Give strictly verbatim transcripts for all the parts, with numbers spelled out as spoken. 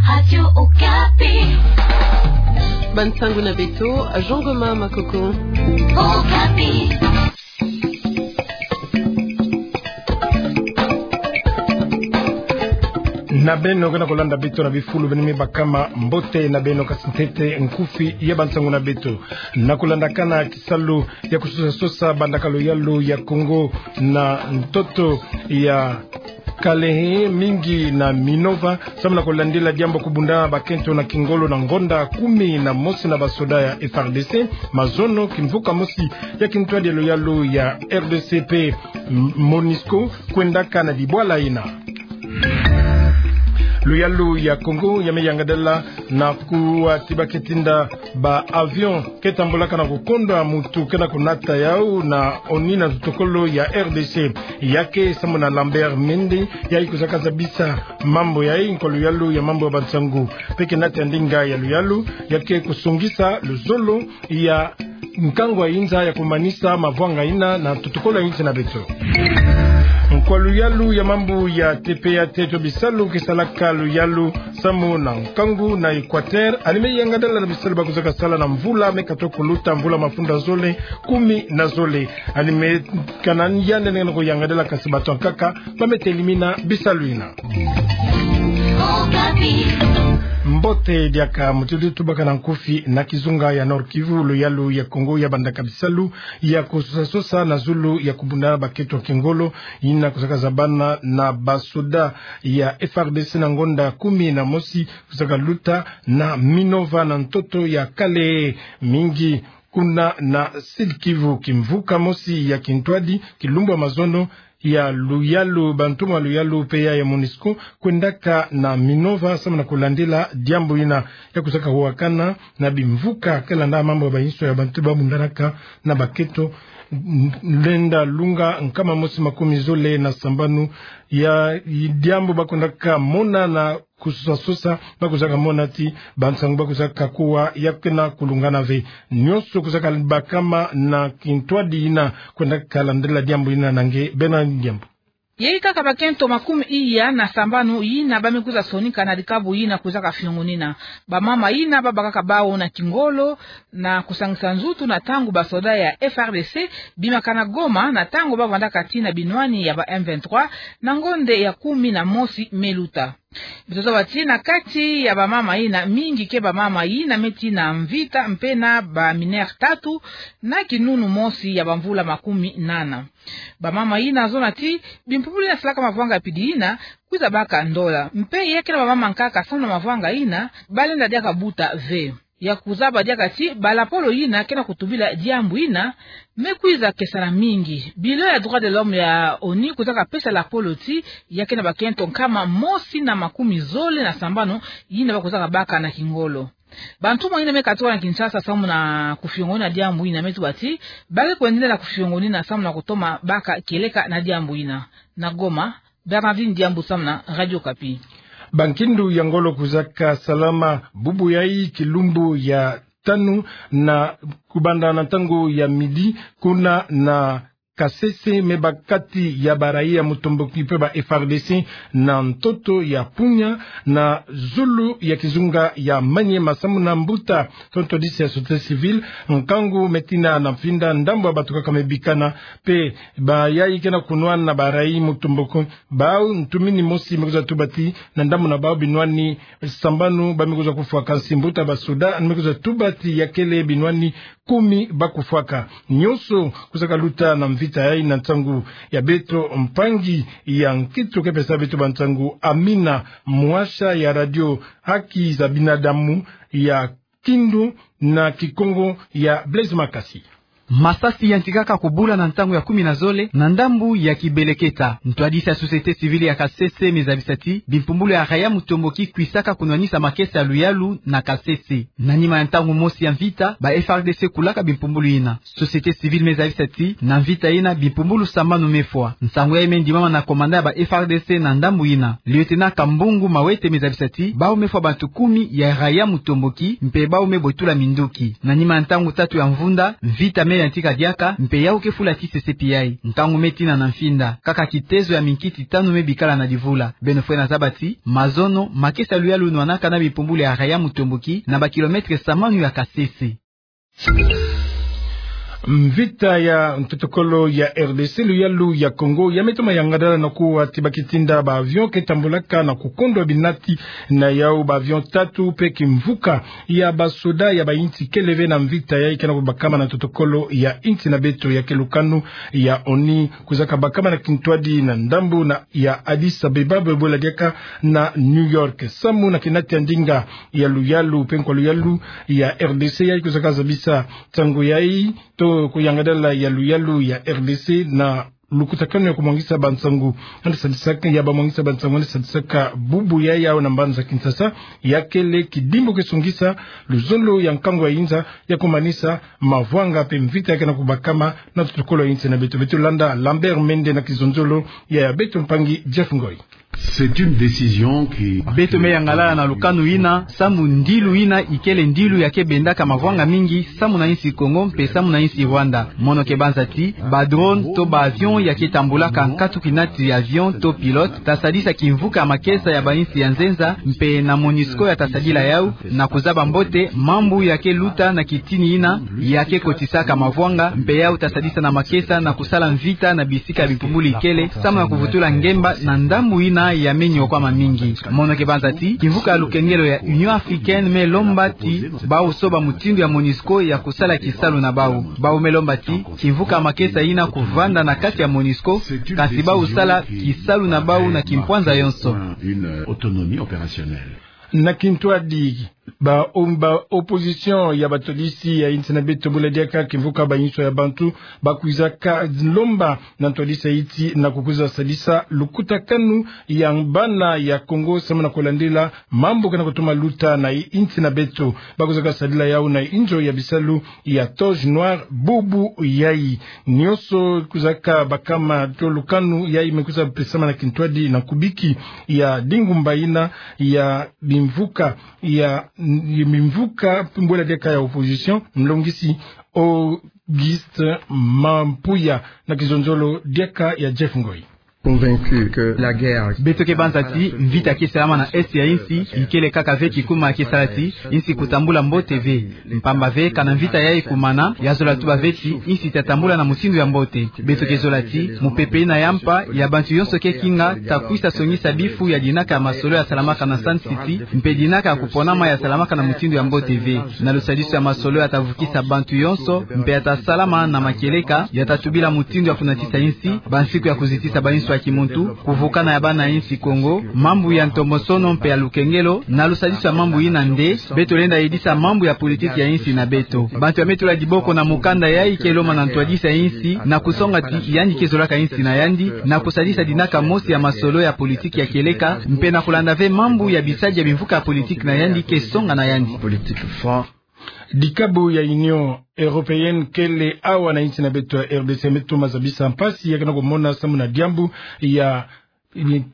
Radio Okapi. Bansangu na beto, Jean Goma Makoko. Okapi. Na beno ke na kolanda beto na bifulu beno me bakama, mbote na beno, kasi ntete nkufi ya bansangu na beto. Na kolandakana kisalu ya kososa-sosa bandaka luyalu ya Kongo na ntoto ya Kalehe, Mingi na Minova, samu na kolandila diambu ya kobunda bakento na kingolo na ngonda kumi na mosi na basoda ya F R D C, mazono kimvuka mosi ya kintwadi ya luyalu ya R D C pe M-, MONUSCO, kwendaka na dibwala ina. Luyalu ya Kongo ya me yangadala na kuwa ti ba ke tinda ba avion ke tambulaka na kukondwa mutu ke na kunata yau na ONU na totokolo ya R D C. Ya ke samu na Lambert Mende, yayi kozaka zabisa mambu yayi, nkwa luyalu ya mambu ya bansangu. Pe ke nata ya ndinga ya luyalu, ya ke kosongisa luzolo ya nkangu ya inza ya komanisa mavwanga ina na totokolo ya insi na beto. Nkwa luyalu ya mambu ya T P A T to bisalu ke salaka luyalu samu na nkangu na Equateur, yandi me yangadala na bisalu ba kozaka sala na mvula me katoka kuluta, mvula mafunda zole kumi na zole. Yandi me kana yandi nene koyangadala, kasi bato ya nkaka ba me telimina bisalu ina. Mbote diaka, mutu di tubaka na nkufi na kizunga ya Nord-Kivu, luyalu ya Kongo ya bandaka bisalu ya kososa-sosa na zulu ya kobunda bakento kingolo ina kozaka zabana na basoda ya F R D C na ngonda kumi na mosi kozaka luta na Minova na ntoto ya Kalehe, Mingi kuna na Sud-Kivu. Kimvuka mosi ya kintwadi, kilumbu ya mazono ya luyalu, bantumwa luyalu pe ya, ya MONUSCO kwendaka na Minova samu na kolandila diambu ina ya kozaka wakana na bimvuka ke landa mambu ya bainso ya bantu ba bundanaka na bakento, n-, lenda lunga nkama mosi makumi zole na sambanu ya diambu ba kwendaka mona na kososa-sosa, ba kozaka mona ti bansangu ba kozaka kuwa ya ke na kulungana ve. Nyonso kozaka bakama na kintwadi ina kwendaka landila diambu ina. Na nge bena diambu. Yayi kaka bakento makumi iya na sambanu yina ba me kwiza sonika na dikabu yina kozaka fiongonina. Bamama yina ba bakaka bau na kingolo na kosangisa nzutu na ntangu basoda ya F R D C bimaka na Goma, na ntangu ba vandaka ti na binwani ya ba M vingt-trois na ngonda ya kumi na mosi me luta. Beto zaba ti na kati ya bamama yina, mingi ke bamama yina me ti na mvita mpe na ba mineure tatu na kinunu mosi ya bamvula makumi nana. Bamama yina zona ti bimpumbulu yina salaka mavwanga ya pidi yina kwiza baka ndola. Mpe ya ke na bamama nkaka samu na mavwanga yina, ba lenda diaka buta ve. Ya kuzaba diaka ti balapolo yina ke na kutubila diambu yina me kwiza kesana mingi. Bilo ya droits de l'homme ya ONU kozaka pesa lapolo ti ya ke na bakento nkama mosi na makumi zole na sambanu yina ba kozaka baka na kingolo. Bantumwa yina me katuka na Kinshasa samu na kufiongonina diambu yina me tuba ti ba ke kwendela na kufiongonina samu na kutoma baka kieleka na diambu yina. Na Goma, Bernardine Diambu samu na Radio Okapi. Bankindu ya ngolo kozaka salama bubu yayi kilumbu ya tanu na kubanda na ntangu ya midi kuna na Kasese, me ba kati ya barayi ya Mutomboki mpe ba F R D C na ntoto ya Punya na zulu ya kizunga ya Maniema samu na mbuta tonto disi ya société civile, nkangu me tina na mfinda, ndambu ya bato kaka me bikana, mpe bayayi ke na kunwana na barayi Mutomboki, bau ntumini mosi me kwiza tuba ti na ndambu na bau binwani sambanu ba me kwiza kufwaka, nsi mbuta basoda me kwiza tuba ti ya kele binwani kumi ba kufwaka. Nyonso kozaka luta na mvita yayi na ntangu ya beto mpangi ya nkento ke pesa beto bansangu, Amina, mwasha ya radio Haki za Binadamu ya Kindu na Kikongo ya Blaise Makasi. Masasi yantikaka kobula na ntangu ya kumi na zole na ndambu ya Kibeleketa. Ntwadisi ya société civile ya Kasese me zabisa ti bimpumbulu ya rayi ya Mutomboki kwisaka kunwanisa makesa ya luyalu na Kasese. Na nima ya ntangu mosi ya mvita, ba F R D C kulaka bimpumbulu yina. Société civile me zabisa ti na mvita yina bimpumbulu sambanu me fwa. Nsangu yayi me ndimama na commandant ya ba F R D C na ndambu yina. Lieutenant Kambungu Mawete me zabisa ti bau me fwa bantu kumi ya rayi ya Mutomboki, mpe bau me botula minduki. Na nima ya ntangu tatu ya mvunda, mvita me ya ntika diaka, mpe yau ke fula ti sesepi yai. Nkangu me tina na mfinda. Kaka kitezo ya minkiti tanu me bikala na divula. Beno fwena zaba ti, mazono, makesa luyalu nwanaka na bipumbulu ya Raya Mutomboki, na ba kilomètre samanu ya Kasese. Mvita ya ntotokolo ya R D C, luyalu ya Kongo, ya me toma yangadala na kuwa ti ba kitinda ba avion ke tambulaka na kukondwa binati na yau. Ba avion tatu pe kimvuka ya basoda ya ba insi kele ve na mvita yai ke na kubakama na ntotokolo ya insi na beto, ya ke lukanu ya ONU, kwizaka bakama na kintwadi na ndambu na ya Addis Abeba, bwela diaka na New York. Samu na kinati ya ndinga ya luyalu, pe nkwa luyalu ya R D C yai kwizaka zabisa nsangu yai, to kuyangadala ya luyalu ya R D C na lukutakanu ya kumwangisa bansangu andi sadisaka, ya bamwangisa bansangu andi sadisaka bubu yai yau na mbanza Kinshasa, ya kele kidimbu ke sungisa luzolo ya nkangu ya inza ya kumanisa mavwanga pe mvita ya ke na kubakama na ntotokolo ya insi na beto. Beto landa Lambert Mende na kizonzolo ya, ya beto mpangi Jeff Ngoi. C'est une décision qui... Beto me yangalala na lukanu ina, samu ndilu ina ikele ndilu ya ke bendaka mavwanga mingi, samu na insi Kongo mpe samu na insi Rwanda. Mono ke banza ti, ba drone to ba avion ya ke tambulaka nkatu kinati ya avion to pilote, ta sadisa kimvuka ya makesa ya ba insi ya nzenza, mpe na MONUSCO ya ta sadila yau, na kuzaba mbote mambu ya ke luta na kitini ina ya ke kotisaka mavwanga, mpe yau ta sadisa na makesa na kusala mvita na bisika ya bipumbulu ikele, samu na kuvutula ngemba na ndambu ina ya me nyokwama mingi. Mono ke banza ti, kimvuka ya lukengelo ya Union Africaine me lomba ti bau soba mutindu ya MONUSCO ya kusala kisalu na bau. Bau me lomba ti kimvuka ya makesa ina kuvanda na kati ya MONUSCO, kasi bau sala kisalu na bau na kimpwanza yonso. Une autonomie opérationnelle. Na kintwadi, ba, um, ba opposition ya batodisi ya insi na beto, bwela diaka kimvuka bainso ya bantu, bakwizaka lomba na ntodisi ya insi na kukwiza sadisa lukutakanu ya bana ya Kongo samu na kulandila mambu ke na kutoma luta na insi na beto. Bakwizaka sadila yau na inzo ya bisalu ya Toge Noire bubu yai. Nionso kwizaka bakama to lukanu yai me kwiza pesama na kintwadi na kubiki ya dingumba ina ya bimvuka ya, ya bimvuka, bwela diaka ya opposition, mlongisi Auguste Mampuya na kizonzolo diaka ya Jeff Ngoi. Convaincu que la guerre... Beto ke banza ti mvita ke salama na est ya insi ikele kaka ve kikuma ke sala ti insi kutambula mbote ve. Mpamba ve, kana mvita yai kumana, ya zola tuba ve ti insi ta tambula na mutindu ya mbote. Beto ke zola ti mupepe ina ya mpa ya bantu yonso ke kinga ta kwisa songisa bifu ya dinaka ya masolo ya salamaka na Sun City, mpe dinaka ya kuponama ya salamaka na mutindu ya mbote ve. Na lusadisu ya masolo ya ta vukisa bantu yonso, mpe ya ta salama na makieleka, ya ta tubila mutindu ya kunatisa insi, bansiku ya kuzitisa bainso ya kimuntu, kuvukana ya bana insi Kongo, mambu ya ntomosono mpe ya lukengelo, na lusadisu ya mambu ina nde, beto lenda yidisa mambu ya politiki ya insi na beto. Bantu ya me tula diboko na mukanda yai ke lomba na ntwadisi ya insi, na kusonga ti yandi ke zolaka insi na yandi, na kusadisa dinaka mosi ya masolo ya politiki ya kieleka, mpe na kulanda ve mambu ya bisadi ya bimvuka ya politiki na yandi ke songa na yandi. Politique fort. Dikabu ya Union Européenne kele awa na insi na beto ya R D C me toma zabisa mpasi ya ke na kumona samu na diambu ya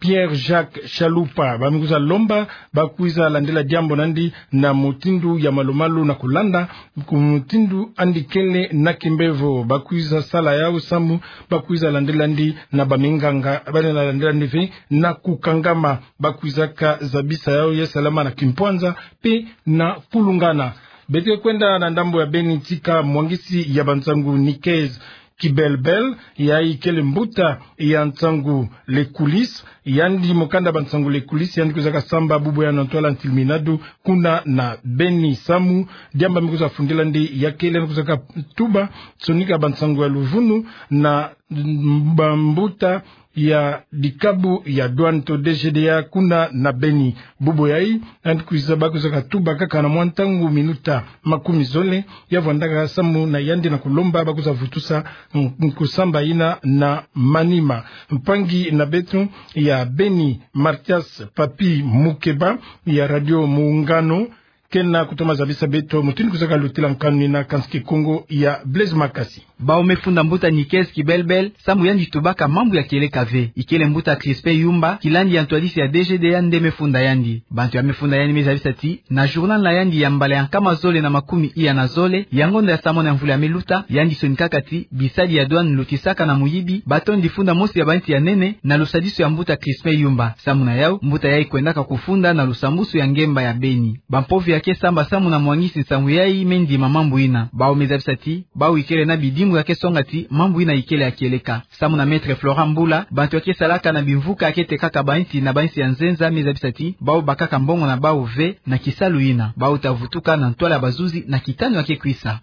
Pierre Jacques Chalupa. Ba me kwiza lomba bakwiza landila diambu na yandi na mutindu ya malu-malu na kulanda ku mutindu yandi kele na kimbevo. Bakwiza sala yau samu bakwiza landila yandi na baminganga, ba lenda landila yandi ve na kukangama. Bakwizaka zabisa yau ya salama na kimpwanza mpe na kulungana. Beto ke kwenda na ndambu ya Beni tika mwangisi ya bansangu Nikez Kibelbel, yai kele mbuta ya nsangu Les Coulisses, yandi mukanda bansangu Les Coulisses, yandi kwizaka samba bubu ya na ntwala Ntilminado kuna na Beni. Samu diambu me kwiza fundila yandi ya kele yandi kwizaka tuba sonika bansangu ya luvunu na bambuta ya dikabu ya douane to D G D A kuna na Beni. Bubu yai, yandi kwiza, bakwizaka tuba kaka na mwa ntangu minuta makumi zole, ya vwandaka samu na yandi na kulomba bakwiza vutusa n-, nkusamba ina na manima. Mpangi na beto ya Beni, Mathias Papi Mukeba ya Radio Muungano, ke na kutoma zabisa beto mutindu kusaka lutila nkanu ina, kansi Kikongo ya Blaise Makasi. Bawu me funda mbuta Nikes Kibelbel, samu yandi tubaka mambu ya kieleka ve. Ikele mbuta Crispin Yumba, kilandi ya ntwadisi ya D G D A nde me funda yandi. Bantu ya me funda yandi me zabisa ti, na journal na yandi ya mbala ya nkama zole na makumi iya na zole, ya ngonda ya samona ya mvula ya me luta, yandi sonikaka ti, bisadi ya douane lutisaka na muyibi batondi funda mosi ya banti ya nene, na lusadisu ya mbuta Crispin Yumba. Samu na yawu, mbuta yayi kwendaka kufunda na lusambusu ya ngemba ya Beni. Bampovi ya ke samba samu na mwangisi nsangu yayi me ndima mambu ina. Bawu me zabisa ti, bawu ikele na bidimbu ya ke songa ti, mambu ina ikele ya kieleka. Samu na Maître Florent Mbula, bantu ya ke salaka na bimvuka ya ke tekaka banti na banti ya nzenza me zabisa ti, bawu bakaka mbongo na bawu ve na kisalu ina. Bawu ta vutuka na ntwala ya bazuzi na kitanu ya ke kwisa.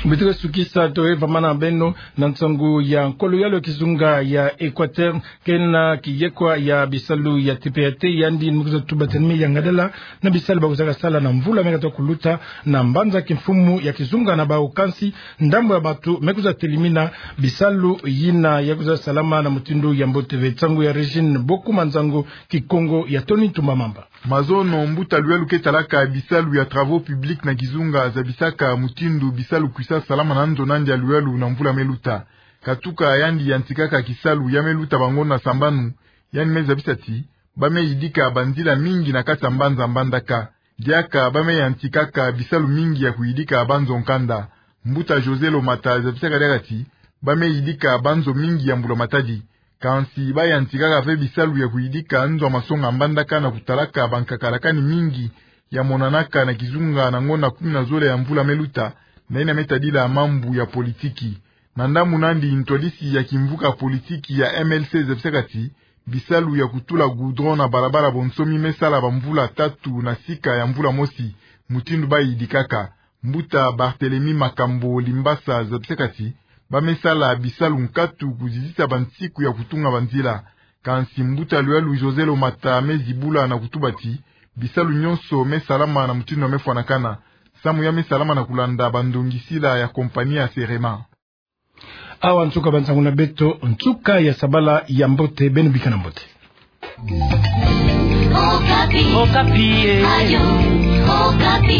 Mbi tuka sukisa to e vamana beno na nsangu ya nkolo ya lo kizunga ya Équateur, ke na kiyekwa ya bisalu ya T P A T, yandi me kwiza tuba ti ni me yangadala na bisalu ba kwizaka sala na mvula me kata kuluta na mbanza kimfumu ya kizunga na bawu, kansi ndambu ya bantu me kwiza telimina bisalu yina ya kwiza salama na mutindu ya mbote ve. Nsangu ya Régine Bokuma, nsangu Kikongo ya Tony Tumba Mamba. Mazono, mbuta Luyalu ke talaka bisalu ya travaux publics na kizunga zabisaka mutindu bisalu kwisa salama na nzo na ndia Luyalu na mvula me luta. Katuka yandi yantikaka kisalu ya me luta bangonda sambanu, yandi me zabisa ti, ba me yidika banzila mingi na kati ya mbanza Mbandaka. Diaka ba me yantikaka bisalu mingi ya kuyidika banzo nkanda. Mbuta José Lomata zabisaka diaka ti, ba me yidika banzo mingi ya mbula matadi. Kansi ba yantikaka ve bisalu ya kuyidika nzo ya masonga Mbandaka na kutalaka bankakala kani mingi ya monanaka na kizunga na ngonda kumi na zole ya mvula me luta, na yina me tadila mambu ya politiki. Na ndambu nandi, ntwadisi ya kimvuka politiki ya M L C zabisaka ti, bisalu ya kutula goudron na balabala bonsomi me sala bamvula tatu na sika ya mvula mosi, mutindu ba yidikaka. Mbuta Barthélemy Makambo Limbasa zabisaka ti, ba me sala bisalu nkatu kuzizisa bansiku ya kutunga banzila. Kansi mbuta Luyalu José Lomata me zibula na kutuba ti, bisalu nyonso me salama na mutindu ya me fwanakana. Samu ya me salama na kulanda bandongisila ya kompani ya Serema. Awa nsuka bansangu na beto, nsuka ya sabala ya mbote, beno bikana mbote. Okapi. Okapi, eh. Ayo, Okapi.